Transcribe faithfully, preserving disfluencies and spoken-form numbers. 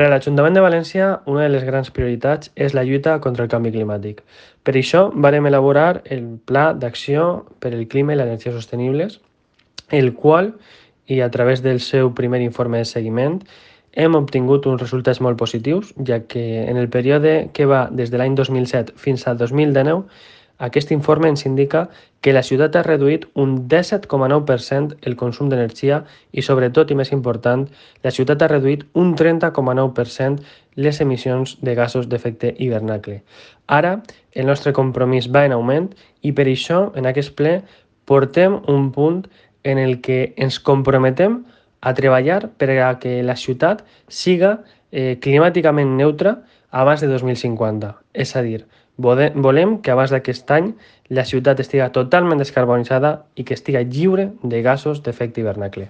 Per a l'Ajuntament de València, una de les grans prioritats és la lluita contra el canvi climàtic. Per això varem elaborar el Pla d'Acció per el Clima i l'Energia Sostenibles, el qual, i a través del seu primer informe de seguiment, hem obtingut uns resultats molt positius, ja que en el període que va des de l'any dos mil set fins al dos mil dinou, aquest informe ens indica que la ciutat ha reduït un disset coma nou per cent el consum d'energia i, sobretot i més important, la ciutat ha reduït un trenta coma nou per cent les emissions de gasos d'efecte hivernacle. Ara, el nostre compromís va en augment i per això, en aquest ple, portem un punt en el que ens comprometem a treballar per a que la ciutat siga eh, climàticament neutra abans de dos mil cinquanta. És a dir, volem que abans d'aquest any la ciutat estiga totalment descarbonitzada i que estiga lliure de gasos d'efecte hivernacle.